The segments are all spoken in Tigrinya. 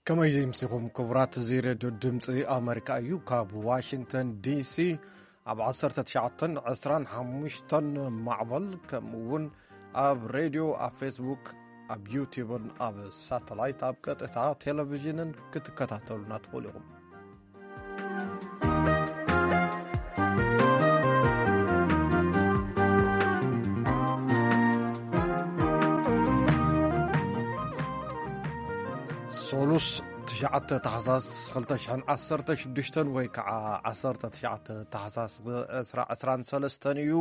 ከመይ ምሲኹም ክቡራት፣ እዚ ሬድዮ ድምፂ ኣመሪካ እዩ። ካብ ዋሽንግተን ዲሲ ኣብ ዓሰርተ ትሽዓተን ዕስራን ሓሙሽተን ማዕበል፣ ከምኡ እውን ኣብ ሬድዮ፣ ኣብ ፌስቡክ፣ ኣብ ዩቲዩብን ኣብ ሳተላይት፣ ኣብ ቀጥታ ቴሌቪዥንን ክትከታተሉና ትኽእሉ ኢኹም። ሶሉስ ትሽዓተ ታሕሳስ ክልተ ሽሕን ዓሰርተ ሽዱሽተን ወይ ከዓ ዓሰርተ ትሽዓተ ታሕሳስ ዕስራ ዕስራን ሰለስተን እዩ።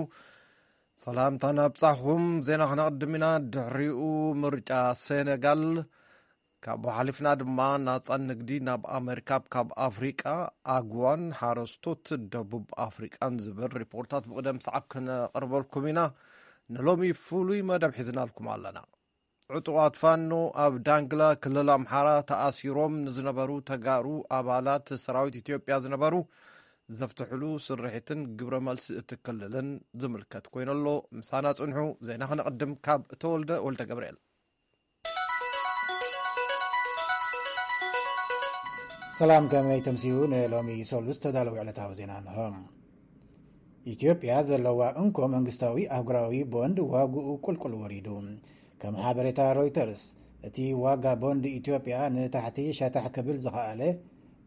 ሰላምታ ናብጻኹም። ዜና ክነቕድም ኢና። ድሕሪኡ ምርጫ ሴኔጋል፣ ካብኡ ሓሊፍና ድማ ናጻ ንግዲ ናብ ኣመሪካ ካብ ኣፍሪቃ፣ ኣግዋን ሓረስቶት ደቡብ ኣፍሪቃን ዝብል ሪፖርታት ብቕደም ሰዓብ ክነቕርበልኩም ኢና። ንሎሚ ፍሉይ መደብ ሒዝናልኩም ኣለና። ዕጡቓት ፋኖ ኣብ ዳንግላ ክልል ኣምሓራ ተኣሲሮም ንዝነበሩ ተጋሩ ኣባላት ሰራዊት ኢትዮጵያ ዝነበሩ ዘፍትሕሉ ስርሒትን ግብረ መልሲ እቲ ክልልን ዝምልከት ኮይኑ ኣሎ። ምሳና ጽንሑ። ዜና ክነቕድም ካብ ተወልደ ወልደ ገብርኤል። ሰላም፣ ከመይ ተምስዩ? ንሎሚ ሰሉስ ተዳለዉ ዕለታዊ ዜና እንሆ። ኢትዮጵያ ዘለዋ እንኮ መንግስታዊ ኣህጉራዊ ቦንድ ዋግኡ ቁልቁል ወሪዱ። ከም ሓበሬታ ሮይተርስ፣ እቲ ዋጋ ቦንድ ኢትዮጵያ ንታሕቲ ሸታሕ ክብል ዝኸኣለ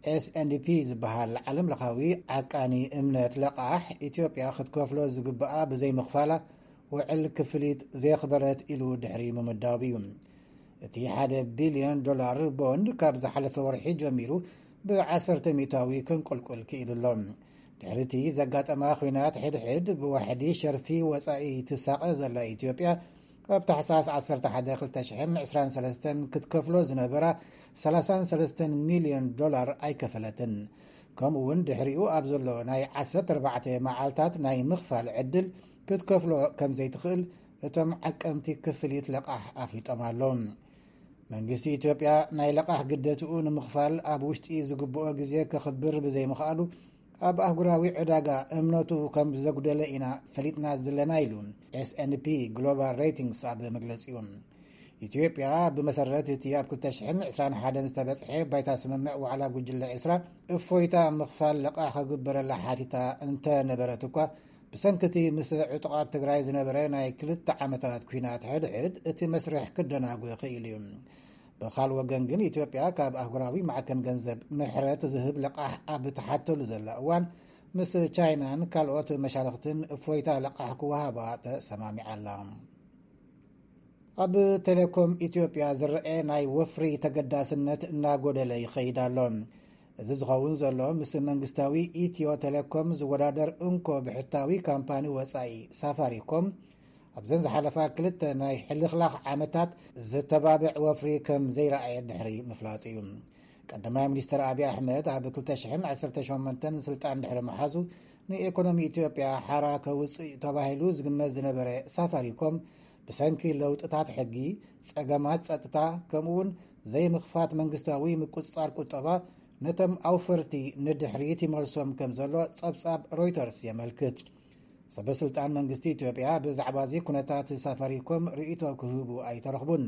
ኤስ ኤንድ ፒ ዝበሃል ዓለም ለኻዊ ዓቃኒ እምነት ለቓሕ፣ ኢትዮጵያ ክትከፍሎ ዝግብኣ ብዘይምኽፋላ ውዕል ክፍሊት ዘየኽበረት ኢሉ ድሕሪ ምምዳቡ እዩ። እቲ ሓደ ቢልዮን ዶላር ቦንድ ካብ ዝሓለፈ ወርሒ ጀሚሩ ብዓሰርተ ሚእታዊ ክንቁልቁል ክኢሉ ኣሎ። ድሕሪ እቲ ዘጋጠማ ኲናት ሕድሕድ ብዋሕዲ ሸርፊ ወጻኢ ትሳቐ ዘላ ኢትዮጵያ፣ ኣብ ታሕሳስ ዓሰርተ ሓደ ክልተ ሽሕን ዕስራን ሰለስተን ክትከፍሎ ዝነበራ ሰላሳን ሰለስተን ሚልዮን ዶላር ኣይከፈለትን። ከምኡ እውን ድሕሪኡ ኣብ ዘሎ ናይ ዓሰርተ ኣርባዕተ መዓልታት ናይ ምኽፋል ዕድል ክትከፍሎ ከም ዘይትኽእል እቶም ዓቀምቲ ክፍሊት ለቓሕ ኣፍሊጦም ኣለዉ። መንግስቲ ኢትዮጵያ ናይ ለቓሕ ግደትኡ ንምኽፋል ኣብ ውሽጢ ዝግብኦ ግዜ ከኽብር ብዘይምኽኣሉ፣ ኣብ ኣህጉራዊ ዕዳጋ እምነቱ ከም ዘጉደለ ኢና ፈሊጥና ዘለና ኢሉ ኤስ ኤንድ ፒ ግሎባል ሬቲንግስ ኣብ መግለጺኡ። ኢትዮጵያ ብመሰረት እቲ ኣብ ክልተ ሽሕን ዕስራን ሓደን ዝተበጽሐ ባይታ ስምምዕ ዋዕላ ጉጅለ ዕስራ እፎይታ ምኽፋል ለቓሕ ከግበረላ ሓቲታ እንተነበረት እኳ፣ ብሰንኪ እቲ ምስ ዕጡቓት ትግራይ ዝነበረ ናይ ክልተ ዓመታት ኲናት ሕድሕድ እቲ መስርሕ ክደናጎ ክኢሉ እዩ። ብኻል ወገን ግን ኢትዮጵያ ካብ ኣህጉራዊ ማዕከን ገንዘብ ምሕረት ዝህብ ለቓሕ ኣብ ትሓተሉ ዘላ እዋን፣ ምስ ቻይናን ካልኦት መሻርኽትን እፎይታ ለቓሕ ክወሃባ ተሰማሚዓ ኣላ። ኣብ ቴሌኮም ኢትዮጵያ ዝረአ ናይ ወፍሪ ተገዳስነት እናጎደለ ይኸይድ ኣሎ። እዚ ዝኸውን ዘሎ ምስ መንግስታዊ ኢትዮ ቴሌኮም ዝወዳደር እንኮ ብሕታዊ ካምፓኒ ወጻኢ ሳፋሪኮም ኣብዘን ዝሓለፋ ክልተ ናይ ሕልኽላኽ ዓመታት ዝተባብዕ ወፍሪ ከም ዘይረኣየ ድሕሪ ምፍላጡ እዩ። ቀዳማይ ሚኒስትር ኣብይ ኣሕመድ ኣብ ክልተ ሽሕን ዓሰርተ ሸሞንተን ስልጣን ድሕሪ ምሓዙ፣ ንኢኮኖሚ ኢትዮጵያ ሓራ ከውፅእ ተባሂሉ ዝግመት ዝነበረ ሳፋሪኮም፣ ብሰንኪ ለውጥታት ሕጊ፣ ጸገማት ጸጥታ፣ ከምኡውን ዘይምኽፋት መንግስታዊ ምቁጽጻር ቁጠባ፣ ነቶም ኣውፈርቲ ንድሕሪት ይመልሶም ከም ዘሎ ጸብጻብ ሮይተርስ የመልክት። ሰበ ስልጣን መንግስቲ ኢትዮጵያ ብዛዕባ እዚ ኩነታት ሳፋሪኮም ርእይቶ ክህቡ ኣይተረኽቡን።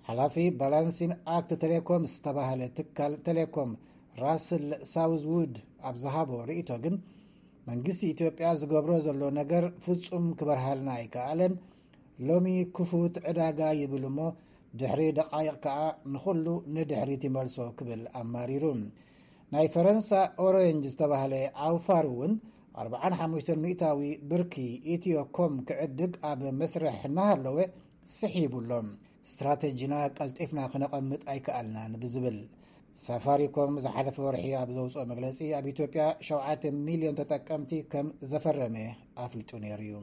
ሓላፊ ባላንሲን ኣክት ቴሌኮም ዝተባህለ ትካል ቴሌኮም፣ ራስል ሳውዝውድ፣ ኣብ ዝሃቦ ርእይቶ ግን፣ መንግስቲ ኢትዮጵያ ዝገብሮ ዘሎ ነገር ፍጹም ክበርሃልና ኣይከኣለን። ሎሚ ክፉት ዕዳጋ ይብል እሞ፣ ድሕሪ ደቓይቕ ከኣ ንኹሉ ንድሕሪት ይመልሶ ክብል ኣማሪሩ። ናይ ፈረንሳ ኦሬንጅ ዝተባህለ ኣውፋር እውን ኣርብዓን ሓሙሽተን ሚእታዊ ብርኪ ኢትዮ ኮም ክዕድግ ኣብ መስርሕ እናሃለወ ስሒቡ ኣሎ። ስትራተጂና ቀልጢፍና ክነቐምጥ ኣይከኣልናን ብዝብል፣ ሳፋሪኮም ዝሓለፈ ወርሒ ኣብ ዘውፅኦ መግለፂ፣ ኣብ ኢትዮጵያ ሸውዓተ ሚልዮን ተጠቀምቲ ከም ዘፈረመ ኣፍሊጡ ነይሩ እዩ።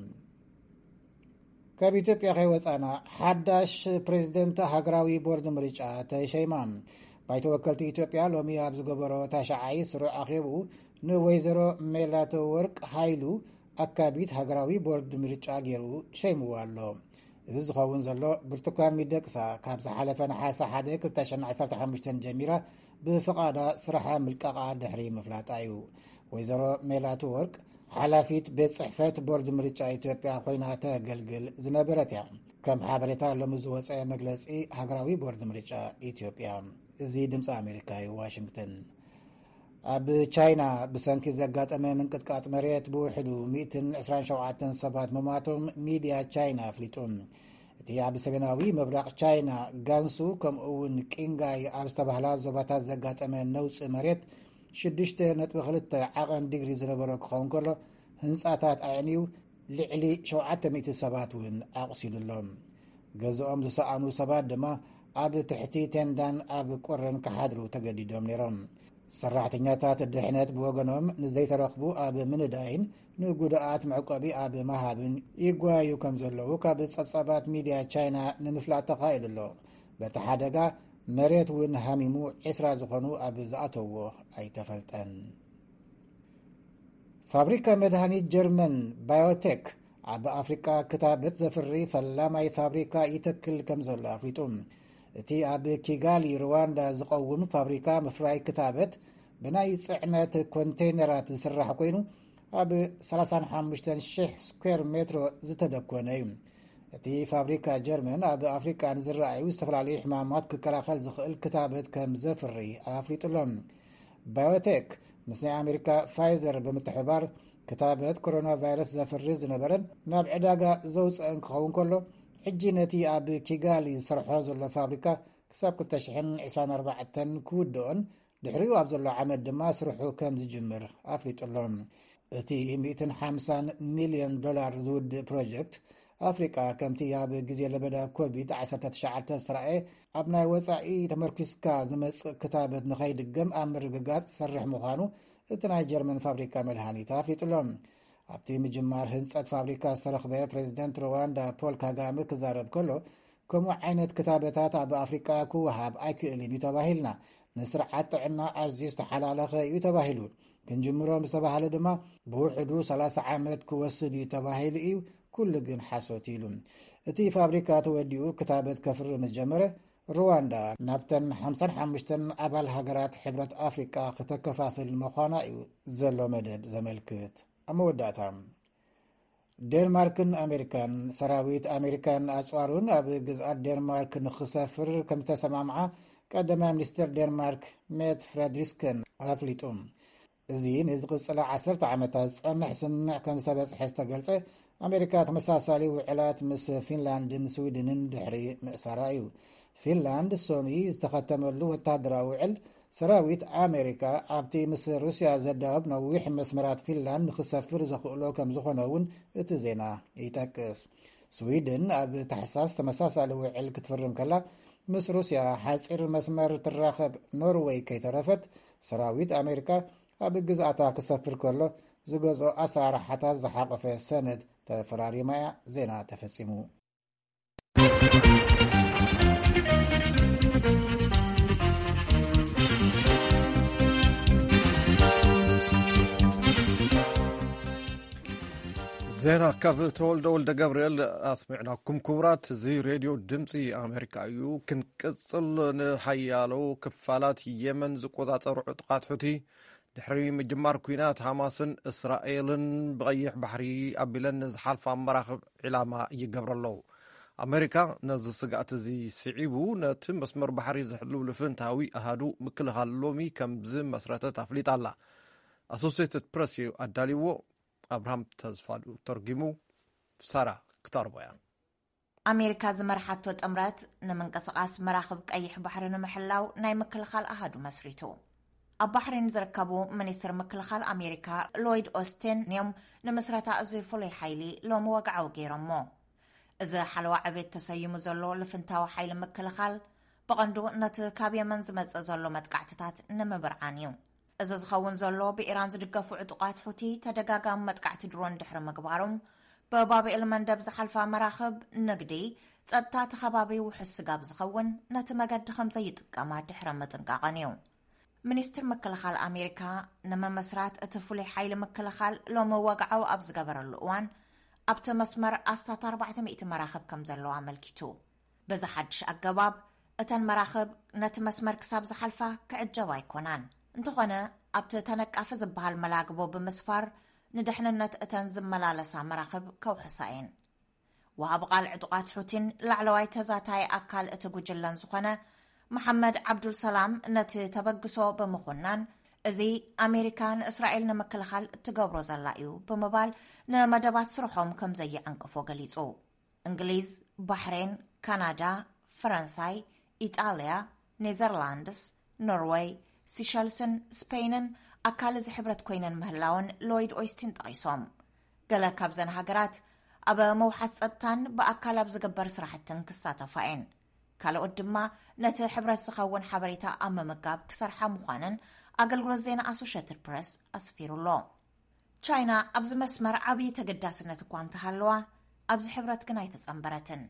ካብ ኢትዮጵያ ከይወፃና፣ ሓዳሽ ፕሬዚደንት ሃገራዊ ቦርድ ምርጫ ተሸይማ። ባይቶ ወከልቲ ኢትዮጵያ ሎሚ ኣብ ዝገበሮ ታሽዓይ ስሩዕ ኣኼብኡ፣ ንወይዘሮ ሜላተወርቅ ሃይሉ ኣካቢት ሃገራዊ ቦርድ ምርጫ ገይሩ ሸይምዋ ኣሎ። እዚ ዝኸውን ዘሎ፣ ብርቱካን ሚደቅሳ ካብ ዝሓለፈ ነሓሰ ሓደ ክልተ ሽሕን ዓሰርተ ሓሙሽተን ጀሚራ ብፍቓዳ ስራሓ ምልቃቓ ድሕሪ ምፍላጣ እዩ። ወይዘሮ ሜላተወርቅ ሓላፊት ቤት ጽሕፈት ቦርድ ምርጫ ኢትዮጵያ ኮይና ተገልግል ዝነበረት እያ። ከም ሓበሬታ ሎሚ ዝወጸ መግለጺ ሃገራዊ ቦርድ ምርጫ ኢትዮጵያ። እዚ ድምፂ ኣሜሪካ እዩ፣ ዋሽንግተን። ኣብ ቻይና ብሰንኪ ዘጋጠመ ምንቅጥቃጥ መሬት ብውሕዱ ሚእትን ዕስራን ሸውዓተን ሰባት ምማቶም ሚድያ ቻይና ኣፍሊጡ። እቲ ኣብ ሰሜናዊ ምብራቕ ቻይና ጋንሱ ከምኡ እውን ቂንጋይ ኣብ ዝተባህላ ዞባታት ዘጋጠመ ነውፂ መሬት ሽዱሽተ ነጥቢ ክልተ ዓቐን ዲግሪ ዝነበሮ ክኸውን ከሎ፣ ህንፃታት ኣዕንዩ ልዕሊ ሸውዓተ ሚእቲ ሰባት እውን ኣቑሲሉ ኣሎ። ገዝኦም ዝሰኣኑ ሰባት ድማ ኣብ ትሕቲ ቴንዳን ኣብ ቁርን ክሓድሩ ተገዲዶም ነይሮም። ሰራሕተኛታት ድሕነት ብወገኖም ንዘይተረኽቡ ኣብ ምንዳይን ንጉድኣት መዕቆቢ ኣብ መሃብን ይጓዩ ከም ዘለዉ ካብ ጸብጻባት ሚድያ ቻይና ንምፍላጥ ተኻኢሉ ኣሎ። በቲ ሓደጋ መሬት እውን ሃሚሙ ዕስራ ዝኾኑ ኣብ ዝኣተውዎ ኣይተፈልጠን። ፋብሪካ መድሃኒት ጀርመን ባዮቴክ ኣብ ኣፍሪቃ ክታበት ዘፍሪ ፈላማይ ፋብሪካ ይተክል ከም ዘሎ ኣፍሊጡ። እቲ ኣብ ኪጋሊ ሩዋንዳ ዝቐውም ፋብሪካ ምፍራይ ክታበት ብናይ ጽዕነት ኮንቴይነራት ዝስራሕ ኮይኑ፣ ኣብ ሰላሳን ሓሙሽተን ሽሕ ስኩዌር ሜትሮ ዝተደኮነ እዩ። እቲ ፋብሪካ ጀርመን ኣብ ኣፍሪቃ ንዝረኣዩ ዝተፈላለዩ ሕማማት ክከላኸል ዝኽእል ክታበት ከም ዘፍሪ ኣፍሊጡ ኣሎ። ባዮቴክ ምስ ናይ ኣሜሪካ ፋይዘር ብምትሕባር ክታበት ኮሮና ቫይረስ ዘፍሪ ዝነበረን ናብ ዕዳጋ ዘውፅአን ክኸውን ከሎ፣ ሕጂ ነቲ ኣብ ኪጋሊ ዝሰርሖ ዘሎ ፋብሪካ ክሳብ ክልተ ሽሕን ዕስራን ኣርባዕተን ክውድኦን ድሕሪኡ ኣብ ዘሎ ዓመት ድማ ስርሑ ከም ዝጅምር ኣፍሊጡ ኣሎ። እቲ ሚእትን ሓምሳን ሚልዮን ዶላር ዝውድእ ፕሮጀክት ኣፍሪቃ ከምቲ ኣብ ግዜ ለበዳ ኮቪድ ዓሰርተ ትሽዓተ ዝተራእየ ኣብ ናይ ወጻኢ ተመርኪስካ ዝመጽእ ክታበት ንኸይድገም ኣብ ምርግጋጽ ዝሰርሕ ምዃኑ እቲ ናይ ጀርመን ፋብሪካ መድሃኒት ኣፍሊጡ ኣሎ። ኣብቲ ምጅማር ህንጸት ፋብሪካ ዝተረኽበ ፕሬዚደንት ሩዋንዳ ፖል ካጋመ ክዛረብ ከሎ፣ ከምኡ ዓይነት ክታበታት ኣብ ኣፍሪቃ ክወሃብ ኣይክእልን እዩ ተባሂልና። ንስርዓት ጥዕና ኣዝዩ ዝተሓላለኸ እዩ ተባሂሉ። ክንጅምሮ ምስ ተባሃለ ድማ ብውሕዱ ሰላሳ ዓመት ክወስድ እዩ ተባሂሉ እዩ። ኩሉ ግን ሓሶት ኢሉ። እቲ ፋብሪካ ተወዲኡ ክታበት ከፍሪ ምስ ጀመረ፣ ሩዋንዳ ናብተን ሓምሳን ሓሙሽተን ኣባል ሃገራት ሕብረት ኣፍሪቃ ክተከፋፍል ምዃና እዩ ዘሎ መደብ ዘመልክት። ኣብ መወዳእታ፣ ዴንማርክን ኣሜሪካን፣ ሰራዊት ኣሜሪካን ኣጽዋሩን ኣብ ግዝኣት ዴንማርክ ንኽሰፍር ከም ዝተሰማምዓ ቀዳማይ ሚኒስትር ዴንማርክ ሜት ፍረድሪስከን ኣፍሊጡ። እዚ ንዝቕጽላ ዓሰርተ ዓመታት ዝጸንሕ ስምምዕ ከም ዝተበጽሐ ዝተገልጸ፣ ኣሜሪካ ተመሳሳሊ ውዕላት ምስ ፊንላንድን ስዊድንን ድሕሪ ምእሳራ እዩ። ፊንላንድ ሶኑይ ዝተኸተመሉ ወታደራዊ ውዕል፣ ሰራዊት ኣሜሪካ ኣብቲ ምስ ሩስያ ዘዳወብ ነዊሕ መስመራት ፊንላንድ ንኽሰፍር ዘኽእሎ ከም ዝኾነ እውን እቲ ዜና ይጠቅስ። ስዊድን ኣብ ታሕሳስ ተመሳሳሊ ውዕል ክትፍርም ከላ፣ ምስ ሩስያ ሓጺር መስመር ትራኸብ ኖርወይ ከይተረፈት፣ ሰራዊት ኣሜሪካ ኣብ ግዝኣታ ክሰፍር ከሎ ዝገዝኦ ኣሰራርሓታት ዝሓቐፈ ሰነድ ተፈራሪማ እያ። ዜና ተፈጺሙ። ዜና ካብ ተወልደ ወልደ ገብርኤል ኣስሚዕናኩም። ክቡራት፣ እዚ ሬድዮ ድምፂ ኣሜሪካ እዩ። ክንቅፅል፣ ንሓያሎ ክፋላት የመን ዝቆፃፀሩ ዕጡቓት ሑቲ ድሕሪ ምጅማር ኲናት፣ ሓማስን እስራኤልን ብቐይሕ ባሕሪ ኣቢለን ንዝሓልፋ መራኽብ ዒላማ ይገብራ ኣለዉ። ኣሜሪካ ነዚ ስግኣት እዚ ስዒቡ ነቲ መስመር ባሕሪ ዝሕሉ ልፍንታዊ ኣሃዱ ምክልኻል ሎሚ ከም ዝመስረተት ኣፍሊጣ ኣላ። ኣሶሴትድ ፕረስ እዩ ኣዳልይዎ። ኣብርሃም ተስፋሉ ተርጊሙ፣ ሳራ ክተቕርቦ እያ። ኣሜሪካ ዝመርሓቶ ጥምረት ንምንቅስቓስ መራኽብ ቀይሕ ባሕሪ ንምሕላው ናይ ምክልኻል ኣሃዱ መስሪቱ። ኣብ ባሕሪን ዝርከቡ ሚኒስትር ምክልኻል ኣሜሪካ ሎይድ ኦስቲን እዮም ንምስረታ እዚ ፍሉይ ሓይሊ ሎሚ ወግዓዊ ገይሮሞ። እዚ ሓለዋ ዕቤት ተሰይሙ ዘሎ ልፍንታዊ ሓይሊ ምክልኻል ብቐንዱ ነቲ ካብ የመን ዝመጽእ ዘሎ መጥቃዕትታት ንምብርዓን እዩ። እዚ ዝኸውን ዘሎ ብኢራን ዝድገፉ ዕጡቓት ሑቲ ተደጋጋሚ መጥቃዕቲ ድሮን ድሕሪ ምግባሮም፣ ብባብኤል መንደብ ዝሓልፋ መራኽብ ንግዲ ጸጥታ እቲ ከባቢ ውሑስ ስጋብ ዝኸውን ነቲ መገዲ ከም ዘይጥቀማ ድሕሪ ምጥንቃቐን እዩ። ሚኒስትር ምክልኻል ኣሜሪካ ንምምስራት እቲ ፍሉይ ሓይሊ ምክልኻል ሎሚ ወግዓዊ ኣብ ዝገበረሉ እዋን፣ ኣብቲ መስመር ኣስታት ኣርባዕተ ሚእቲ መራኽብ ከም ዘለዋ ኣመልኪቱ። በዚ ሓድሽ ኣገባብ፣ እተን መራኽብ ነቲ መስመር ክሳብ ዝሓልፋ ክዕጀባ ኣይኮናን። እንተኾነ፣ ኣብቲ ተነቃፊ ዝበሃል መላግቦ ብምስፋር፣ ንድሕንነት እተን ዝመላለሳ መራኽብ ከውሕሳ እየን። ወሃቢ ቃል ዕጡቓት ሑቲን ላዕለዋይ ተዛታይ ኣካል እቲ ጉጅለን ዝኾነ መሓመድ ዓብዱል ሰላም ነቲ ተበግሶ ብምኹናን፣ እዚ ኣሜሪካ ንእስራኤል ንምክልኻል እትገብሮ ዘላ እዩ ብምባል፣ ንመደባት ስርሖም ከም ዘየዕንቅፎ ገሊጹ። እንግሊዝ፣ ባሕሬን፣ ካናዳ፣ ፈረንሳይ፣ ኢጣልያ፣ ኔዘርላንድስ፣ ኖርወይ፣ ሲሸልስን ስፔይንን ኣካል እዚ ሕብረት ኮይነን ምህላወን ሎይድ ኦይስቲን ጠቒሶም። ገለ ካብዘን ሃገራት ኣብ መውሓስ ጸጥታን ብኣካል ኣብ ዝግበር ስራሕትን ክሳተፋ እየን። ካልኦት ድማ ነቲ ሕብረት ዝኸውን ሓበሬታ ኣብ ምምጋብ ክሰርሓ ምዃነን ኣገልግሎት ዜና ኣሶሽየትድ ፕረስ ኣስፊሩ ኣሎ። ቻይና ኣብዚ መስመር ዓብዪ ተገዳስነት እኳ እንተሃለዋ፣ ኣብዚ ሕብረት ግን ኣይተጸንበረትን።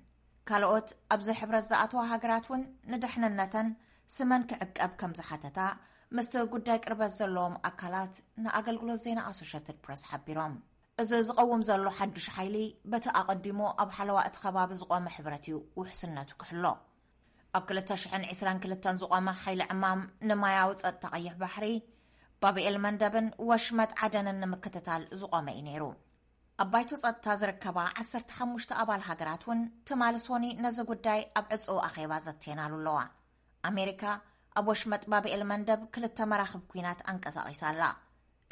ካልኦት ኣብዚ ሕብረት ዝኣተዋ ሃገራት እውን ንድሕንነተን ስመን ክዕቀብ ከም ዝሓተታ ምስቲ ጉዳይ ቅርበት ዘለዎም ኣካላት ንኣገልግሎት ዜና ኣሶሽየትድ ፕረስ ሓቢሮም። እዚ ዝቐውም ዘሎ ሓዱሽ ሓይሊ በቲ ኣቐዲሙ ኣብ ሓለዋ እቲ ከባቢ ዝቖመ ሕብረት እዩ ውሕስነቱ ክሕሎ። ኣብ ክልተ ሽሕን ዕስራን ክልተን ዝቖመ ሓይሊ ዕማም ንማያዊ ጸጥታ ቀይሕ ባሕሪ፣ ባብኤል መንደብን ወሽመጥ ዓደንን ንምክትታል ዝቖመ እዩ ነይሩ። ኣብ ባይቶ ጸጥታ ዝርከባ ዓሰርተ ሓሙሽተ ኣባል ሃገራት እውን ትማሊ ሶኒ ነዚ ጉዳይ ኣብ ዕጹው ኣኼባ ዘትየናሉ ኣለዋ። ኣሜሪካ ኣብ ወሽመጥ ባብኤል መንደብ ክልተ መራኽብ ኲናት ኣንቀሳቒሳ ኣላ።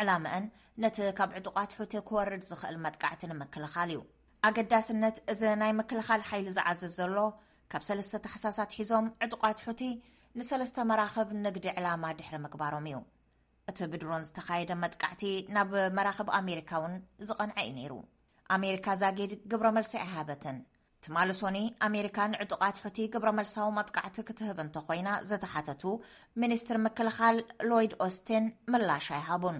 ዕላምአን ነቲ ካብ ዕጡቓት ሑቲ ክወርድ ዝኽእል መጥቃዕቲ ንምክልኻል እዩ። ኣገዳስነት እዚ ናይ ምክልኻል ሓይሊ ዝዓዝዝ ዘሎ፣ ካብ ሰለስተ ታሕሳስ ኣትሒዞም ዕጡቓት ሑቲ ንሰለስተ መራኽብ ንግዲ ዕላማ ድሕሪ ምግባሮም እዩ። እቲ ብድሮን ዝተኻየደ መጥቃዕቲ ናብ መራኽብ ኣሜሪካ እውን ዝቐንዐ እዩ ነይሩ። ኣሜሪካ ዛጊድ ግብረ መልሲ ኣይሃበትን። ትማሊ ሶኒ ኣሜሪካ ንዕጡቓት ሑቲ ግብረ መልሳዊ መጥቃዕቲ ክትህብ እንተኾይና ዝተሓተቱ ሚኒስትር ምክልኻል ሎይድ ኦስቲን ምላሽ ኣይሃቡን።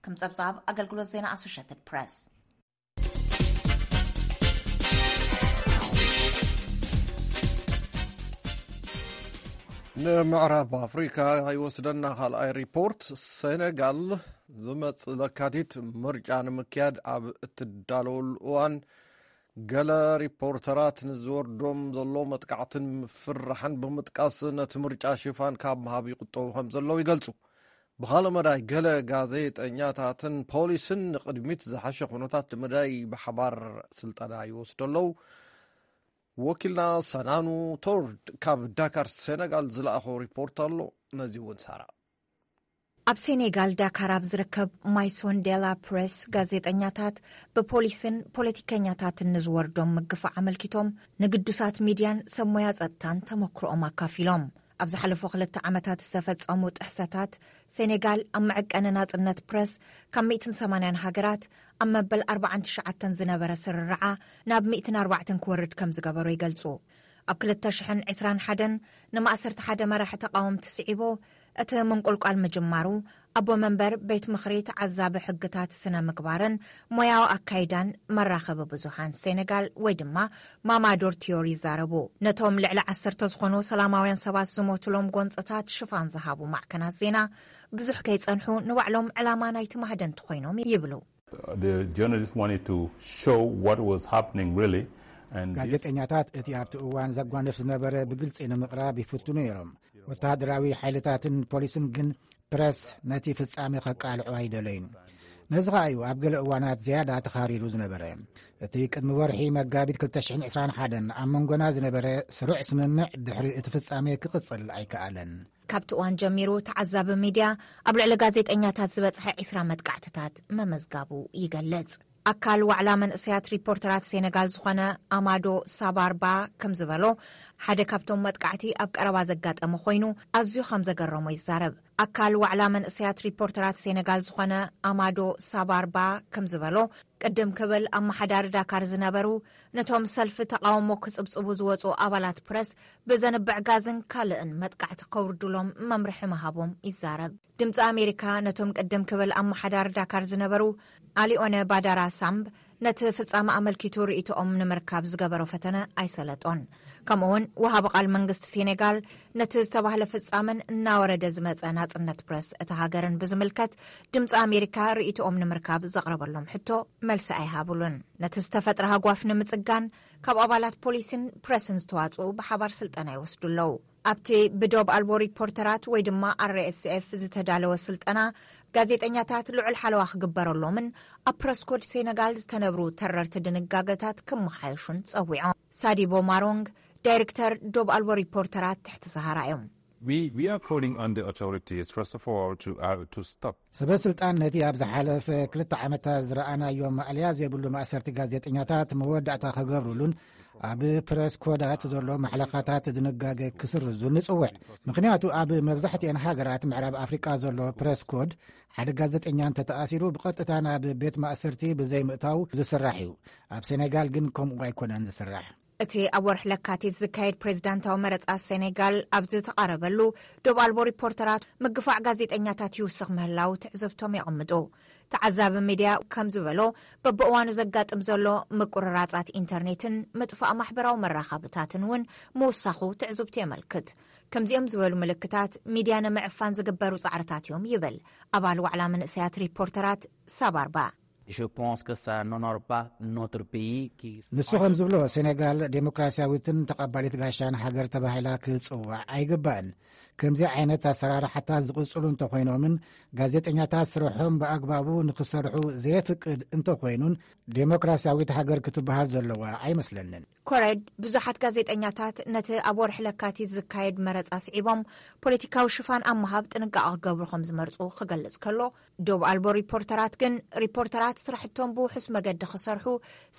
ከም ጸብጻብ ኣገልግሎት ዜና ኣሶሽየትድ ፕረስ። ንምዕራብ ኣፍሪካ ይወስደና ካልኣይ ሪፖርት። ሴኔጋል ዝመጽእ ለካቲት ምርጫ ንምክያድ ኣብ እትዳለወሉ እዋን ገለ ሪፖርተራት ንዝወርዶም ዘሎ መጥቃዕትን ምፍርራሕን ብምጥቃስ ነቲ ምርጫ ሽፋን ካብ ምሃብ ይቁጠቡ ከም ዘለዉ ይገልጹ። ብኻልእ መዳይ ገለ ጋዜጠኛታትን ፖሊስን ንቕድሚት ዝሓሸ ኩነታት ንምዳይ ብሓባር ስልጠና ይወስዱ ኣለዉ። ወኪልና ሰናኑ ቶርድ ካብ ዳካር ሴነጋል ዝለኣኾ ሪፖርት ኣሎ። ነዚ እውን ሳራ። ኣብ ሴኔጋል ዳካር ኣብ ዝርከብ ማይሶን ዴላ ፕሬስ ጋዜጠኛታት ብፖሊስን ፖለቲከኛታትን ንዝወርዶም ምግፋዕ ኣመልኪቶም ንግዱሳት ሚድያን ሰብ ሞያ ጸጥታን ተመክሮኦም ኣካፊሎም። ኣብ ዝሓለፉ ክልተ ዓመታት ዝተፈጸሙ ጥሕሰታት ሴኔጋል ኣብ መዐቀኒ ናጽነት ፕረስ ካብ ሚእትን ሰማንያን ሃገራት ኣብ መበል ኣርባዓን ትሽዓተን ዝነበረ ስርርዓ ናብ ሚእትን ኣርባዕተን ክወርድ ከም ዝገበሮ ይገልጹ። ኣብ ክልተ ሽሕን ዕስራን ሓደን ንማእሰርቲ ሓደ መራሒ ተቓወምቲ ስዒቡ እቲ ምንቁልቋል ምጅማሩ ኣቦ መንበር ቤት ምኽሪ ተዓዛቢ ሕግታት ስነ ምግባርን ሞያዊ ኣካይዳን መራኸቢ ብዙሃን ሴኔጋል ወይ ድማ ማማዶር ቲዮሪ ይዛረቡ። ነቶም ልዕሊ ዓሰርተ ዝኾኑ ሰላማውያን ሰባት ዝሞቱሎም ጎንጽታት ሽፋን ዝሃቡ ማዕከናት ዜና ብዙሕ ከይጸንሑ ንባዕሎም ዕላማ ናይቲ ማህደንቲ ኮይኖም ይብሉ። The journalists wanted to show what was happening really. And this ጋዜጠኛታት እቲ ኣብቲ እዋን ዘጓንፍ ዝነበረ ብግልጺ ንምቕራብ ይፍትኑ ነይሮም። ወተሃደራዊ ሓይልታትን ፖሊስን ግን ፕረስ ነቲ ፍጻሜ ከቃልዑ ኣይደለዩን። ነዚ ኸኣ እዩ ኣብ ገለ እዋናት ዝያዳ ተኻሪሩ ዝነበረ። እቲ ቅድሚ ወርሒ መጋቢት ክልተ ሽሕን ዕስራን ሓደን ኣብ መንጎና ዝነበረ ስሩዕ ስምምዕ ድሕሪ እቲ ፍጻሜ ክቕጽል ኣይከኣለን። ካብቲ እዋን ጀሚሩ ተዓዛቢ ሚድያ ኣብ ልዕሊ ጋዜጠኛታት ዝበጽሐ ዒስራ መጥቃዕትታት መመዝጋቡ ይገልጽ። ኣካል ዋዕላ መንእሰያት ሪፖርተራት ሴነጋል ዝኾነ ኣማዶ ሳባርባ ከም ዝበሎ፣ ሓደ ካብቶም መጥቃዕቲ ኣብ ቀረባ ዘጋጠመ ኮይኑ ኣዝዩ ከም ዘገረሞ ይዛረብ። ኣካል ዋዕላ መንእሰያት ሪፖርተራት ሴነጋል ዝኾነ ኣማዶ ሳባርባ ከም ዝበሎ፣ ቅድም ክብል ኣመሓዳሪ ዳካር ዝነበሩ ነቶም ሰልፊ ተቓውሞ ክጽብጽቡ ዝወጹ ኣባላት ፕረስ ብዘንብዕ ጋዝን ካልእን መጥቃዕቲ ከውርዱሎም መምርሒ ምሃቦም ይዛረብ። ድምፂ ኣሜሪካ ነቶም ቅድም ክብል ኣመሓዳሪ ዳካር ዝነበሩ ኣሊኦነ ባዳራ ሳምብ ነቲ ፍጻመ ኣመልኪቱ ርእይቶኦም ንምርካብ ዝገበሮ ፈተነ ኣይሰለጦን። ከምኡውን ወሃቢ ቃል መንግስቲ ሴኔጋል ነቲ ዝተባህለ ፍጻመን እናወረደ ዝመጸ ናጽነት ፕረስ እታ ሃገርን ብዝምልከት ድምፂ ኣሜሪካ ርእይቶኦም ንምርካብ ዘቕረበሎም ሕቶ መልሲ ኣይሃብሉን። ነቲ ዝተፈጥረ ሃጓፍ ንምጽጋን ካብ ኣባላት ፖሊስን ፕረስን ዝተዋጽኡ ብሓባር ስልጠና ይወስዱ ኣለዉ። ኣብቲ ብዶብ ኣልቦ ሪፖርተራት ወይ ድማ ኣር ኤስ ኤፍ ዝተዳለወ ስልጠና፣ ጋዜጠኛታት ልዑል ሓለዋ ክግበረሎምን ኣብ ፕረስ ኮድ ሴነጋል ዝተነብሩ ተረርቲ ድንጋገታት ክመሓየሹን ጸዊዖም። ሳዲቦ ማሮንግ ዳይሬክተር ዶብ ኣልቦ ሪፖርተራት ትሕቲ ሰሃራ እዮም። We, we are calling on the authorities, first of all, to, uh, to stop. ሰበ ስልጣን ነቲ ኣብ ዝሓለፈ ክልተ ዓመታት ዝረኣናዮ ማእለያ ዘይብሉ ማእሰርቲ ጋዜጠኛታት መወዳእታ ክገብሩሉን ኣብ ፕረስ ኮዳት ዘሎ ማሕለኻታት ድንጋገ ክስርዙን ንጽውዕ። ምኽንያቱ ኣብ መብዛሕትኤን ሃገራት ምዕራብ ኣፍሪቃ ዘሎ ፕረስ ኮድ ሓደ ጋዜጠኛ እንተተኣሲሩ ብቐጥታ ናብ ቤት ማእሰርቲ ብዘይምእታው ዝስራሕ እዩ። ኣብ ሴኔጋል ግን ከምኡ ኣይኮነን ዝስራሕ። እቲ ኣብ ወርሒ ለካቲት ዝካየድ ፕሬዝዳንታዊ መረጻ ሴኔጋል ኣብ ዝተቓረበሉ፣ ዶብ ኣልቦ ሪፖርተራት ምግፋዕ ጋዜጠኛታት ይውስኽ ምህላው ትዕዝብቶም የቐምጡ። ተዓዛቢ ሚድያ ከም ዝበሎ፣ በብእዋኑ ዘጋጥም ዘሎ ምቁርራጻት ኢንተርኔትን ምጥፋእ ማሕበራዊ መራኸብታትን እውን ምውሳኹ ትዕዝብቱ የመልክት። ከምዚኦም ዝበሉ ምልክታት ሚድያ ንምዕፋን ዝግበሩ ጻዕርታት እዮም ይብል ኣባል ዋዕላ መንእሰያት ሪፖርተራት ሳባርባ። Je pense que ça n'honore pas notre pays qui ንሱ ከም ዝብሎ፣ ሴኔጋል ዴሞክራሲያዊትን ተቐባሊት ጋሻን ሃገር ተባሂላ ክትጽዋዕ ኣይግባእን። ከምዚ ዓይነት ኣሰራርሓታት ዝቕጽሉ እንተኾይኖምን ጋዜጠኛታት ስርሖም ብኣግባቡ ንኽሰርሑ ዘየፍቅድ እንተኾይኑን፣ ዴሞክራሲያዊት ሃገር ክትበሃል ዘለዋ ኣይመስለንን። ኮረድ ብዙሓት ጋዜጠኛታት ነቲ ኣብ ወርሒ ለካቲት ዝካየድ መረጻ ስዒቦም ፖለቲካዊ ሽፋን ኣብ ምሃብ ጥንቃቐ ክገብሩ ከም ዝመርጹ ክገልጽ ከሎ፣ ዶብ ኣልቦ ሪፖርተራት ግን ሪፖርተራት ስራሕቶም ብውሑስ መገዲ ክሰርሑ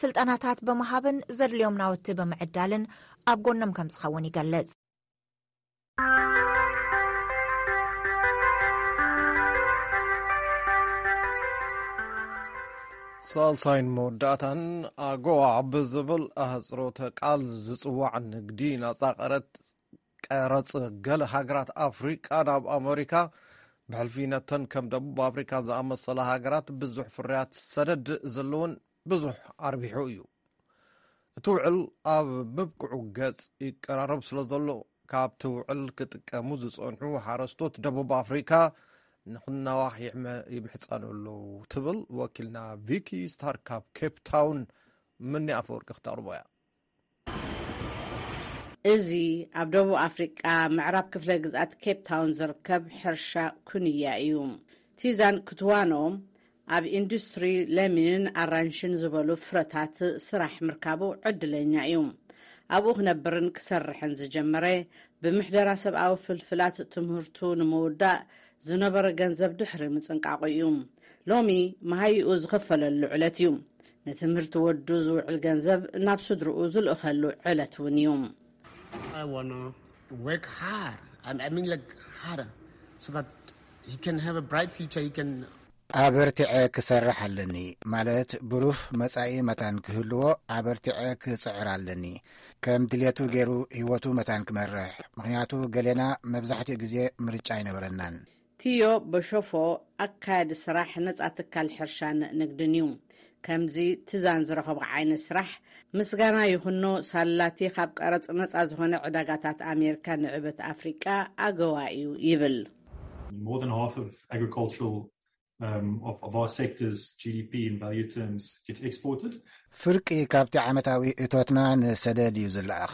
ስልጠናታት ብምሃብን ዘድልዮም ናውቲ ብምዕዳልን ኣብ ጎኖም ከም ዝኸውን ይገልጽ። ሳልሳይን መወዳእታን ኣጎዋ ብዝብል ኣህጽሮተ ቃል ዝጽዋዕ ንግዲ ናጻ ቀረጥ ቀረጽ ገለ ሃገራት ኣፍሪቃ ናብ ኣመሪካ ብሕልፊ ነተን ከም ደቡብ ኣፍሪካ ዝኣመሰላ ሃገራት ብዙሕ ፍርያት ሰደድ ዘለውን ብዙሕ ኣርቢሑ እዩ። እቲ ውዕል ኣብ ምብቅዑ ገጽ ይቀራረብ ስለ ዘሎ ካብቲ ውዕል ክጥቀሙ ዝጸንሑ ሓረስቶት ደቡብ ኣፍሪካ ንክናዋሕ ይሕመ- ይምሕጸኑ ኣለዉ ትብል ወኪልና ቪኪ ስታር ካብ ኬፕ ታውን። ምኒ ኣፈወርቂ ክተቕርቦ እያ። እዚ ኣብ ደቡብ ኣፍሪቃ ምዕራብ ክፍለ ግዝኣት ኬፕ ታውን ዝርከብ ሕርሻ ኩንያ እዩ። ቲዛን ክትዋኖ ኣብ ኢንዱስትሪ ለሚንን ኣራንሽን ዝበሉ ፍረታት ስራሕ ምርካቡ ዕድለኛ እዩ። ኣብኡ ክነብርን ክሰርሕን ዝጀመረ ብምሕደራ ሰብኣዊ ፍልፍላት ትምህርቱ ንምውዳእ ዝነበረ ገንዘብ ድሕሪ ምጽንቃቑ እዩ። ሎሚ መሃይኡ ዝኸፈለሉ ዕለት እዩ። ንትምህርቲ ወዱ ዝውዕል ገንዘብ ናብ ስድርኡ ዝልእኸሉ ዕለት እውን እዩ። I wanna work hard. I, I mean, like, harder, so that he can have a bright future. He can ኣበርቲዐ ክሰርሕ ኣለኒ፣ ማለት ብሩህ መጻኢ መታን ክህልዎ ኣበርቲዐ ክጽዕር ኣለኒ። ከም ድሌቱ ገይሩ ህይወቱ መታን ክመርሕ፣ ምኽንያቱ ገሌና መብዛሕትኡ ግዜ ምርጫ ኣይነበረናን። ቲዮ በሾፎ ኣካያዲ ስራሕ ነጻ ትካል ሕርሻን ንግድን እዩ። ከምዚ ትዛን ዝረኸቦ ዓይነት ስራሕ ምስጋና ይኹኖ ሳላቲ ካብ ቀረጽ ነጻ ዝኾነ ዕዳጋታት ኣሜሪካ ንዕበት ኣፍሪቃ ኣገዋ እዩ ይብል። More than half of agricultural, um, of, of our sector's G D P in value terms gets exported. ፍርቂ ካብቲ ዓመታዊ እቶትና ንሰደድ እዩ ዝለኣኽ።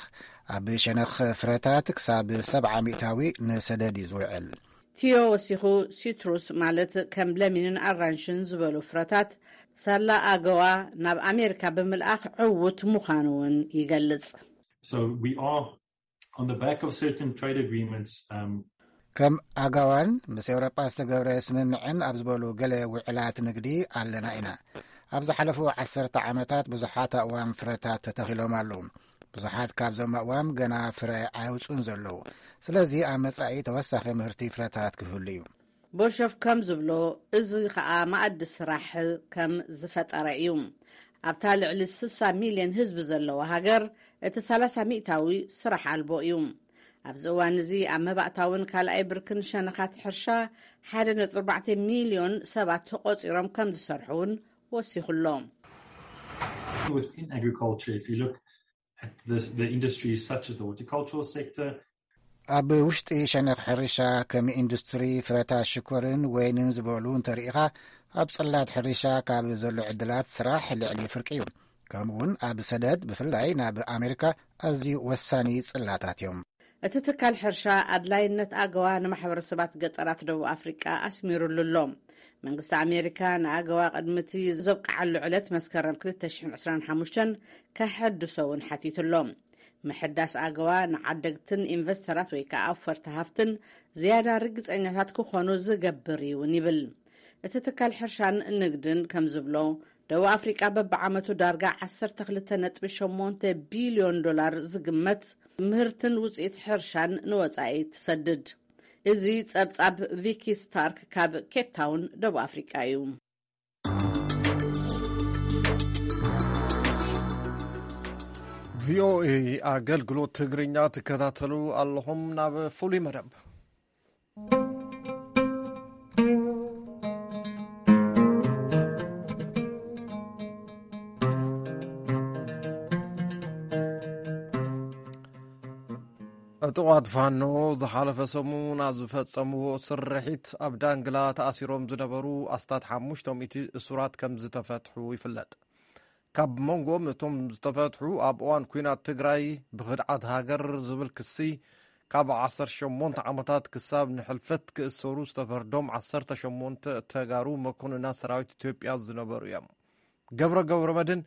ኣብ ሸነኽ ፍረታት ክሳብ ሰብዓ ሚእታዊ ንሰደድ እዩ ዝውዕል። ቲዮ ወሲኹ፣ ሲትሩስ ማለት ከም ለሚንን ኣራንሽን ዝበሉ ፍረታት ሳላ ኣገዋ ናብ ኣሜሪካ ብምልኣኽ ዕዉት ምዃኑ እውን ይገልጽ። So we are on the back of certain trade agreements, um, ከም ኣጋዋን ምስ ኤውሮጳ ዝተገብረ ስምምዕን ኣብ ዝበሉ ገለ ውዕላት ንግዲ ኣለና ኢና። ኣብ ዝሓለፉ ዓሰርተ ዓመታት ብዙሓት ኣእዋም ፍረታት ተተኺሎም ኣለዉ። ብዙሓት ካብዞም ኣእዋም ገና ፍረ ኣየውፅኡን ዘለዉ። ስለዚ ኣብ መጻኢ ተወሳኺ ምህርቲ ፍረታት ክህሉ እዩ። ቦሸፍ ከም ዝብሎ፣ እዚ ኸኣ መኣዲ ስራሕ ከም ዝፈጠረ እዩ። ኣብታ ልዕሊ ስሳ ሚልዮን ህዝቢ ዘለዋ ሃገር፣ እቲ ሰላሳ ሚእታዊ ስራሕ ኣልቦ እዩ። ኣብዚ እዋን እዚ ኣብ መባእታውን ካልኣይ ብርክን ሸነኻት ሕርሻ ሓደ ነጥቢ ኣርባዕተ ሚልዮን ሰባት ተቖጺሮም ከም ዝሰርሑ እውን ወሲኹ ኣሎ። Within agriculture, if you look at this, the industries such as the horticultural sector, ኣብ ውሽጢ ሸነኽ ሕርሻ ከም ኢንዱስትሪ ፍረታት ሽኮርን ወይንን ዝበሉ እንተርኢኻ፣ ኣብ ጽላት ሕርሻ ካብ ዘሎ ዕድላት ስራሕ ልዕሊ ፍርቂ እዩ። ከምኡውን ኣብ ሰደድ ብፍላይ ናብ ኣሜሪካ ኣዝዩ ወሳኒ ጽላታት እዮም። እቲ ትካል ሕርሻ ኣድላይነት ኣገዋ ንማሕበረሰባት ገጠራት ደቡብ ኣፍሪቃ ኣስሚሩሉ ኣሎ። መንግስቲ ኣሜሪካ ንኣገዋ ቅድሚ እቲ ዘብቅዓሉ ዕለት መስከረም ክልተ ሽሕን ዕስራን ሓሙሽተን ከሐድሶ እውን ሓቲቱ ኣሎ። ምሕዳስ ኣገዋ ንዓደግትን ኢንቨስተራት ወይ ከዓ ኣውፈርቲ ሃፍትን ዝያዳ ርግፀኛታት ክኾኑ ዝገብር እውን ይብል። እቲ ትካል ሕርሻን ንግድን ከም ዝብሎ፣ ደቡብ ኣፍሪቃ በብዓመቱ ዳርጋ ዓሰርተ ክልተ ነጥቢ ሸሞንተ ቢልዮን ዶላር ዝግመት ምህርትን ውፅኢት ሕርሻን ንወፃኢ ትሰድድ። እዚ ጸብጻብ ቪኪ ስታርክ ካብ ኬፕ ታውን ደቡብ ኣፍሪቃ እዩ። ቪኦኤ ኣገልግሎት ትግርኛ ትከታተሉ ኣለኹም። ናብ ፍሉይ መደብ ዕጡቓት ፋኖ ዝሓለፈ ሰሙን ኣብ ዝፈጸምዎ ስርሒት ኣብ ዳንግላ ተኣሲሮም ዝነበሩ ኣስታት ሓሙሽተ ሚእቲ እሱራት ከም ዝተፈትሑ ይፍለጥ። ካብ መንጎም እቶም ዝተፈትሑ ኣብ እዋን ኲናት ትግራይ ብኽድዓት ሃገር ዝብል ክሲ ካብ ዓሰርተ ሸሞንተ ዓመታት ክሳብ ንሕልፈት ክእሰሩ ዝተፈርዶም ዓሰርተ ሸሞንተ ተጋሩ መኮንናት ሰራዊት ኢትዮጵያ ዝነበሩ እዮም። ገብረ ገብረ መድን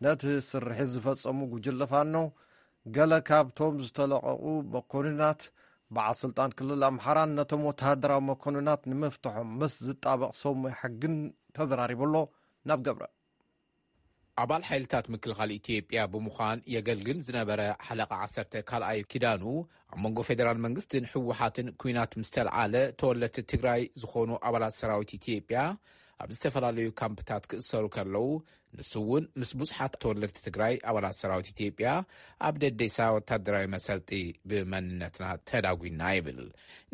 ነቲ ስርሒት ዝፈጸሙ ጉጅለ ፋኖ ገለ ካብቶም ዝተለቐቑ መኮንናት በዓል ስልጣን ክልል ኣምሓራን ነቶም ወተሃደራዊ መኮንናት ንምፍትሖም ምስ ዝጣበቕ ሰብ ሞያ ሕግን ተዘራሪቡ ኣሎ። ናብ ገብረ። ኣባል ሓይልታት ምክልኻል ኢትዮጵያ ብምዃን የገልግል ዝነበረ ሓለቓ ዓሰርተ ካልኣይ ኪዳኑ፣ ኣብ መንጎ ፌደራል መንግስትን ህወሓትን ኲናት ምስ ተልዓለ፣ ተወለድቲ ትግራይ ዝኾኑ ኣባላት ሰራዊት ኢትዮጵያ ኣብ ዝተፈላለዩ ካምፕታት ክእሰሩ ከለዉ፣ ንሱ እውን ምስ ብዙሓት ተወለድቲ ትግራይ ኣባላት ሰራዊት ኢትዮጵያ ኣብ ደዴሳ ወታደራዊ መሰልጢ ብመንነትና ተዳጒና ይብል።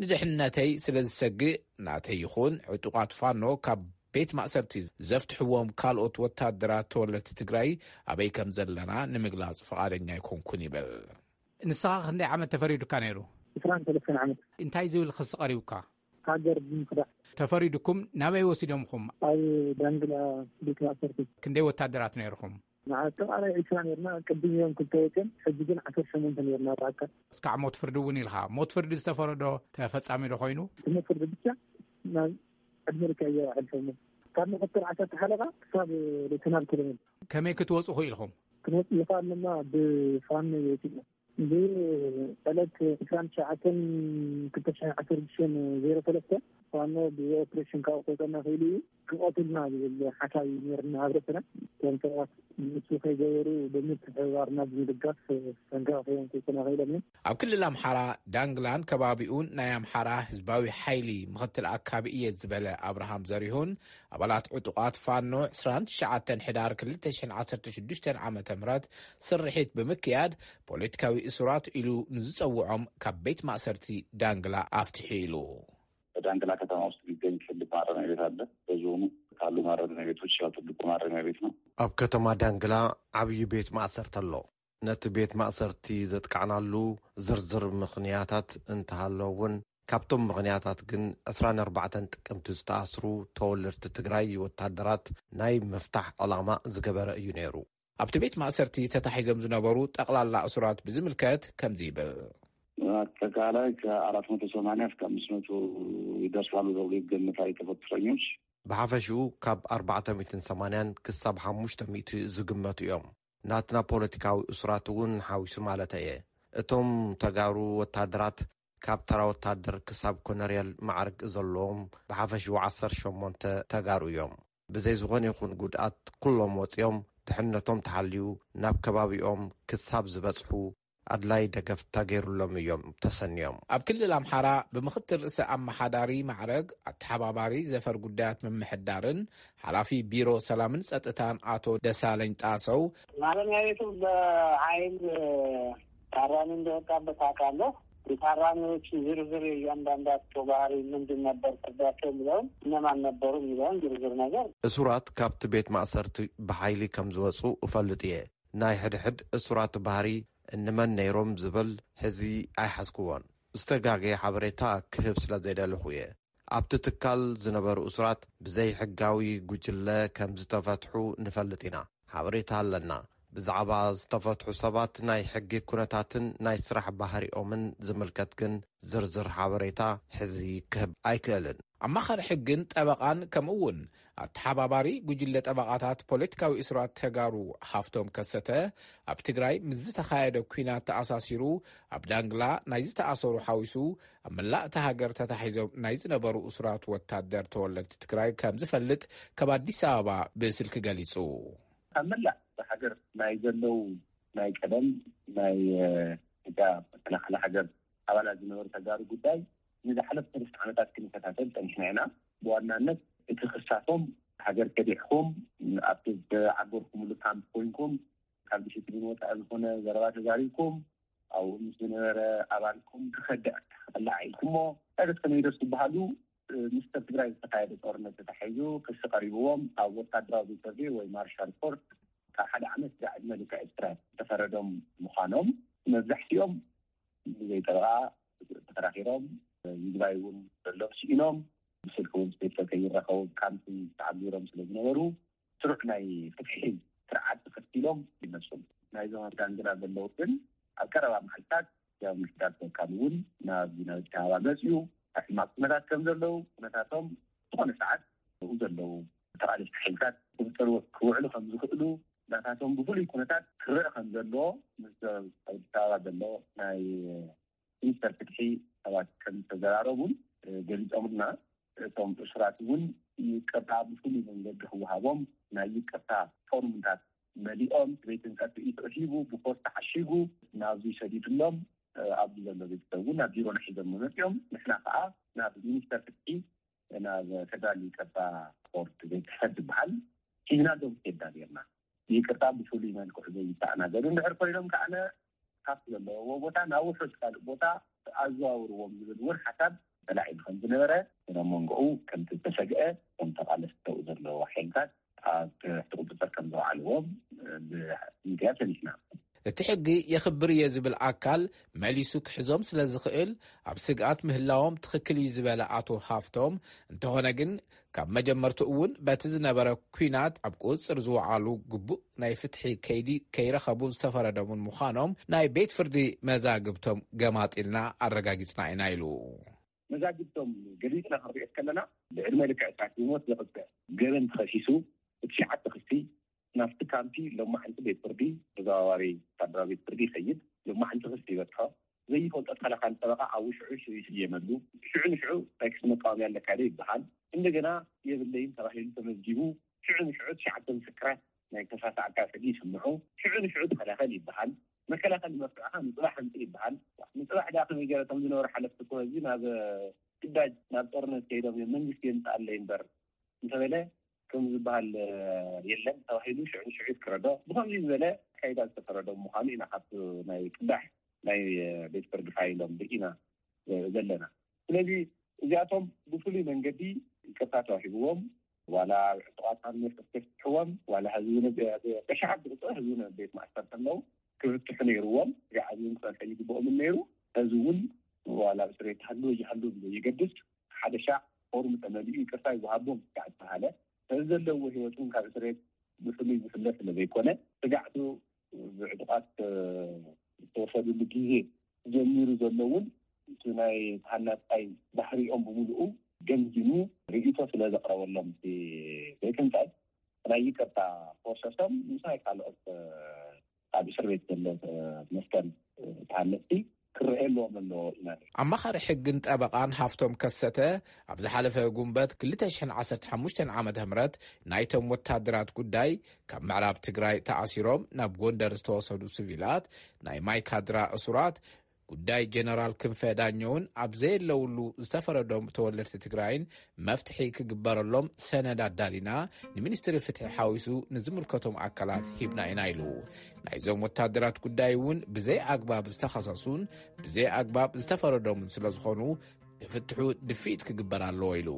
ንድሕነተይ ስለ ዝሰግእ፣ ናተይ ይኹን ዕጡቓት ፋኖ ካብ ቤት ማእሰርቲ ዘፍትሕዎም ካልኦት ወታደራት ተወለድቲ ትግራይ ኣበይ ከም ዘለና ንምግላጽ ፍቓደኛ ኣይኮንኩን ይብል። ንስኻ ክንደይ ዓመት ተፈሪዱካ ነይሩ? ዕስራን ሰለስተን ዓመት። እንታይ ዝብል ክሲ ቀሪቡካ? ሃገር ብምኽዳዕ። ተፈሪዱኩም ናበይ ወሲዶምኹም? ኣብ ዳንግላ ቤት ማእሰርቲ። ክንደይ ወታደራት ነይርኹም? ንኣጠቓላይ ዕስራ ነርና። ቅድም እዮም ክልተ ወፅኦም፣ ሕጂ ግን ዓሰርተ ሸሞንተ ነርና ብኣካል። እስካዕ ሞት ፍርዲ እውን ኢልካ። ሞት ፍርዲ ዝተፈረዶ ተፈጻሚ ዶ ኮይኑ? እቲ ሞት ፍርዲ ብቻ ናብ ዕድመ ልክዕ እየ ኣሕልፎሞ። ካብ ምክትል ዓሰርተ ሓለቓ ክሳብ ሌተናል ኮሎኔል። ከመይ ክትወፁ ክኢልኹም? ክንወፅእ ይኸኣል ድማ ብፋኖ ወፂእና። ብዕለት ዕስራን ትሽዓተን ክልተ ሽሕን ዓሰርተ ሽዱሽተን ዜሮ ሰለስተ ፋኖ ብኦፕሬሽን ካብ ቆፀና ክኢሉ እዩ። ክቐትልና ዝብል ሓሳብ እዩ ነይርና ኣብ ርእስና። እቶም ሰባት ንሱ ከይገበሩ ብምትሕብባርና ብምድጋፍ ጠንቀቕ ከዮም ክውፅና ክኢሎም እዮም። ኣብ ክልል ኣምሓራ ዳንግላን ከባቢኡን ናይ ኣምሓራ ህዝባዊ ሓይሊ ምኽትል ኣካቢ እየ ዝበለ ኣብርሃም ዘሪሁን፣ ኣባላት ዕጡቓት ፋኖ ዕስራን ትሽዓተን ሕዳር ክልተ ሽሕን ዓሰርተ ሽዱሽተን ዓመተ ምህረት ስርሒት ብምክያድ ፖለቲካዊ እሱራት ኢሉ ንዝጸውዖም ካብ ቤት ማእሰርቲ ዳንግላ ኣፍትሑ ኢሉ። በዳንግላ ከተማ ውስጥ የሚገኝ ትልቅ ማረሚያ ቤት አለ። በዞኑ ካሉ ማረሚያ ቤቶች ያው ትልቁ ማረሚያ ቤት ነው። ኣብ ከተማ ዳንግላ ዓብዪ ቤት ማእሰርቲ ኣሎ። ነቲ ቤት ማእሰርቲ ዘጥቃዕናሉ ዝርዝር ምኽንያታት እንተሃሎ እውን፣ ካብቶም ምኽንያታት ግን ዕስራን ኣርባዕተን ጥቅምቲ ዝተኣስሩ ተወለድቲ ትግራይ ወታደራት ናይ ምፍታሕ ዕላማ ዝገበረ እዩ ነይሩ። ኣብቲ ቤት ማእሰርቲ ተታሒዞም ዝነበሩ ጠቕላላ እሱራት ብዝምልከት ከምዚ ይብል። አጠቃላይ ከአራት መቶ ሰማንያ እስከ አምስት መቶ ይደርሳሉ ተብሎ ይገመታል የተፈቱ እስረኞች። ብሓፈሽኡ ካብ ኣርባዕተ ሚእትን ሰማንያን ክሳብ ሓሙሽተ ሚእቲ ዝግመቱ እዮም። ናትና ፖለቲካዊ እሱራት እውን ሓዊሱ ማለተይ እየ። እቶም ተጋሩ ወታደራት ካብ ተራ ወታደር ክሳብ ኮነርየል ማዕርግ ዘለዎም ብሓፈሽኡ ዓሰርተ ሸሞንተ ተጋሩ እዮም። ብዘይ ዝኾነ ይኹን ጉድኣት ኩሎም ወፂኦም ድሕነቶም ተሓልዩ ናብ ከባቢኦም ክሳብ ዝበፅሑ ኣድላይ ደገፍ ተገይሩሎም እዮም ተሰንዮም። ኣብ ክልል ኣምሓራ ብምኽትል ርእሰ ኣመሓዳሪ ማዕረግ ኣተሓባባሪ ዘፈር ጉዳያት ምምሕዳርን ሓላፊ ቢሮ ሰላምን ጸጥታን ኣቶ ደሳለኝ ጣሰው፣ ማረሚያ ቤቱ በኃይል ታራሚ እንደወጣበት አውቃለሁ። የታራሚዎቹ ዝርዝር እያንዳንዳቸው ባህሪ ምንድን ነበር ፍርዳቸው የሚለውን እነማን ነበሩ የሚለውን ዝርዝር ነገር እሱራት ካብቲ ቤት ማእሰርቲ ብሓይሊ ከም ዝወፁ እፈልጥ እየ። ናይ ሕድሕድ እሱራት ባህሪ እንመን ነይሮም ዝብል ሕዚ ኣይሓዝክዎን። ዝተጋገየ ሓበሬታ ክህብ ስለ ዘይደለኹ እየ። ኣብቲ ትካል ዝነበሩ እሱራት ብዘይሕጋዊ ጉጅለ ከም ዝተፈትሑ ንፈልጥ ኢና። ሓበሬታ ኣለና። ብዛዕባ ዝተፈትሑ ሰባት ናይ ሕጊ ኩነታትን ናይ ስራሕ ባህሪኦምን ዝምልከት ግን ዝርዝር ሓበሬታ ሕዚ ክህብ ኣይክእልን። ኣማኻሪ ሕግን ጠበቓን ከምኡ እውን ኣተሓባባሪ ጉጅለ ጠበቓታት ፖለቲካዊ እስራት ተጋሩ ሃፍቶም ከሰተ፣ ኣብ ትግራይ ምስ ዝተኻየደ ኲናት ተኣሳሲሩ ኣብ ዳንግላ ናይ ዝተኣሰሩ ሓዊሱ ኣብ መላእ እታ ሃገር ተታሒዞም ናይ ዝነበሩ እሱራት ወታደር ተወለድቲ ትግራይ ከም ዝፈልጥ ካብ ኣዲስ ኣበባ ብስልኪ ገሊጹ። ካብ መላእ እታ ሃገር ናይ ዘለዉ ናይ ቀደም ናይ ኢትዮጵያ መከላኸሊ ሃገር ኣባላት ዝነበሩ ተጋሩ ጉዳይ ንዝሓለፉ ሰለስተ ዓመታት ክንከታተል ጸኒሕና ኢና። ብዋናነት እቲ ክሳቶም ሃገር ከዲዕኩም ኣብቲ ዝዓገርኩምሉ ካምፕ ኮይንኩም ካብ ዲሲፕሊን ወፃኢ ዝኾነ ዘረባ ተዛሪብኩም ኣብኡ ምስ ዝነበረ ኣባልኩም ክኸድዕ ኣላዓኢልኩሞ ዕለት ከመይደስ ዝበሃሉ ምስ ሰብ ትግራይ ዝተካየደ ጦርነት ተታሒዙ ክሲ ቀሪብዎም ኣብ ወታደራዊ ቤት ፍርዲ ወይ ማርሻል ኮርት ካብ ሓደ ዓመት ዝዕድመ ልክዕ እስራት ዝተፈረዶም ምዃኖም መብዛሕትኦም ብዘይ ጠበቓ ተከራኺሮም ይግባይ እውን ዘሎም ስኢኖም ብስልኪ እውን ቤተሰብ ከይራኸቡ ካምፕ ተዓቢሮም ስለ ዝነበሩ ስሩዕ ናይ ፍትሒ ስርዓት ተኸቲሎም ይነሱ። ናይዞም ኣብ ዳንግላ ዘለዉ ግን ኣብ ቀረባ መዓልታት ያው ምሕዳር ተወካል እውን ናብ ናብቲ ኣበባ መፅዩ ሕማቅ ኩነታት ከም ዘለዉ ኩነታቶም ዝኾነ ሰዓት ኣብኡ ዘለዉ ተቓለስቲ ሓይልታት ክውጠሩ ክውዕሉ ከም ዝኽእሉ ናታቶም ብፍሉይ ኩነታት ክረአ ከም ዘለዎ ምስ ኣብ ኣዲስ ኣበባ ዘሎ ናይ ሚኒስተር ፍትሒ ሰባት ከም ዝተዘራረቡን ገሊፆምልና። እቶም እሱራት እውን ይቅርታ ብፍሉይ መንገዲ ክወሃቦም ናይ ይቅርታ ፎርምታት መሊኦም ቤትን ጸጥኢት ርሂቡ ብፖስት ተዓሺጉ ናብዚ ሰዲዱሎም ኣብዚ ዘሎ ቤተሰብ እውን ናብ ቢሮና ሒዞም መመፅኦም ንሕና ከዓ ናብ ሚኒስተር ፍትሒ ናብ ፌደራል ይቅርታ ቦርድ ቤተሰብ ዝበሃል ሒዝና ዶም ኬዳ ጌርና ይቅርታ ብፍሉይ መልክዑ ዘይተኣናገዱ እንድሕር ኮይኖም ከዓነ ካብቲ ዘለውዎ ቦታ ናብ ውሑድ ካልእ ቦታ ኣዘዋውርዎም ዝብል እውን ሓሳብ ተላዒሉ ከም ዝነበረ ናብ መንጎኡ ከም ዝተሰግአ እቶም ተቃለስቲ ተው ዘለዎ ሓይልታት ኣብ ትሕቲ ቁፅፅር ከም ዘውዓልዎም ብሚድያ ሰሚዕና። እቲ ሕጊ የኽብር እየ ዝብል ኣካል መሊሱ ክሕዞም ስለ ዝኽእል ኣብ ስግኣት ምህላዎም ትኽክል እዩ ዝበለ ኣቶ ሃፍቶም፣ እንተኾነ ግን ካብ መጀመርቱ እውን በቲ ዝነበረ ኲናት ኣብ ቁፅፅር ዝወዓሉ ግቡእ ናይ ፍትሒ ከይዲ ከይረኸቡ ዝተፈረደሙን ምዃኖም ናይ ቤት ፍርዲ መዛግብቶም ገማጢልና ኣረጋጊፅና ኢና ኢሉ። መዛግብቶም ገሊፅና ክንሪኦ ከለና ብዕድመ ልክዕ ስርዓት ብሞት ዘቕፅዕ ገበን ተኸሲሱ ብትሽዓተ ክሲ ናብቲ ካምፒ ሎማዕንቲ ቤት ፍርዲ ተዘዋዋሪ ወታደራዊ ቤት ፍርዲ ይኸይድ። ሎማዕንቲ ክሲ ይበፅሖ። ዘይፈልጦ ተኸላኻሊ ጠበቓ ኣብ ሽዑ ሽዑ ይስየመሉ። ሽዑ ንሽዑ ናይ ክሲ መቃወምያ ኣለካ ዶ ይበሃል። እንደገና የብለይን ተባሂሉ ተመዝጊቡ። ሽዑ ንሽዑ ትሽዓተ ምስክራት ናይ ተሳሳዕካ ፍርዲ ይስምዑ። ሽዑ ንሽዑ ተኸላኸል ይበሃል። መከላኸሊ መፍትዕኻ ንፅባሕ ኣምፅእ ይበሃል። ንፅባሕ ደኣ ከመይ ገይረ እቶም ዝነበሩ ሓለፍቲ እኮ ህዝቢ ናብ ግዳጅ ናብ ጦርነት ከይዶም እዮም መንግስቲ የምፅኣለይ እምበር እንተበለ ከም ዝበሃል የለን ተባሂሉ ሽዑ ንሽዑ ይፍረዶ። ብኸምዚ ዝበለ ኣካይዳ ዝተፈረዶም ምዃኑ ኢና ካብቲ ናይ ቅዳሕ ናይ ቤት ፍርዲ ፋይሎም ርኢና ዘለና። ስለዚ እዚኣቶም ብፍሉይ መንገዲ ይቅርታ ተዋሂብዎም ዋላ ዕጡቓት ሓርነት ከፍትሕዎም ዋላ ህዝቢ ብሽሓት ዝቁፅር ህዝቢ ቤት ማእሰርቲ ኣለዉ ክፍትሑ ነይርዎም። እዚ ዓብዪ ክፀንሐ ይግብኦምን ነይሩ። እዚ እውን ዋላ ኣብ እስር ቤት ተሃሉ ይሃሉ ብዘይገድስ ሓደ ሻዕ ፎርም ተመሊኡ ይቅርታ ይወሃቦም ስጋዕ ዝተባሃለ እዚ ዘለዎ ህይወት እውን ካብ እስር ቤት ብፍሉይ ዝፍለ ስለ ዘይኮነ ስጋዕቱ ብዕጡቓት ዝተወሰዱሉ ግዜ ጀሚሩ ዘሎ እውን እቲ ናይ ተሃናፃይ ባህሪኦም ብምሉኡ ገምጊሙ ርእይቶ ስለ ዘቕረበሎም እቲ ቤት ህንፀት ናይ ይቅርታ ፕሮሰሶም ምስ ናይ ካልኦት ኣብ እስር ቤት ዘሎ መስከን ተሃነፅቲ ክረአ ኣለዎም ኣለዎ ኢና። ኣማኻሪ ሕግን ጠበቓን ሃፍቶም ከሰተ ኣብ ዝሓለፈ ጉንበት ክልተ ሽሕን ዓሰርተ ሓሙሽተን ዓመተ ምህረት ናይቶም ወታደራት ጉዳይ ካብ ምዕራብ ትግራይ ተኣሲሮም ናብ ጎንደር ዝተወሰዱ ስቪላት ናይ ማይካድራ እሱራት ጉዳይ ጀነራል ክንፈ ዳኘውን ኣብ ዘየለውሉ ዝተፈረዶም ተወለድቲ ትግራይን መፍትሒ ክግበረሎም ሰነድ ኣዳሊና ንሚኒስትሪ ፍትሒ ሓዊሱ ንዝምልከቶም ኣካላት ሂብና ኢና ኢሉ። ናይዞም ወታደራት ጉዳይ እውን ብዘይ ኣግባብ ዝተኸሰሱን ብዘይ ኣግባብ ዝተፈረዶምን ስለ ዝኾኑ ክፍትሑ ድፍኢት ክግበር ኣለዎ ኢሉ።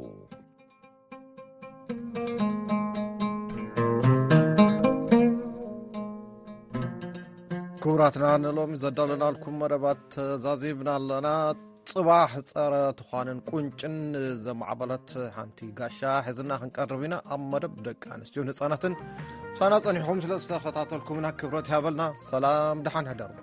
ክቡራትና ንሎሚ ዘዳለናልኩም መደባት ተዛዚብና ኣለና። ጽባሕ ጸረ ትዃንን ቁንጭን ዘማዕበለት ሓንቲ ጋሻ ሒዝና ክንቀርብ ኢና። ኣብ መደብ ደቂ ኣንስትዮን ህጻናትን ምሳና ጸኒሕኩም ስለ ዝተኸታተልኩምና ክብረት ይሃበልና። ሰላም፣ ደሓን ሕደሩ።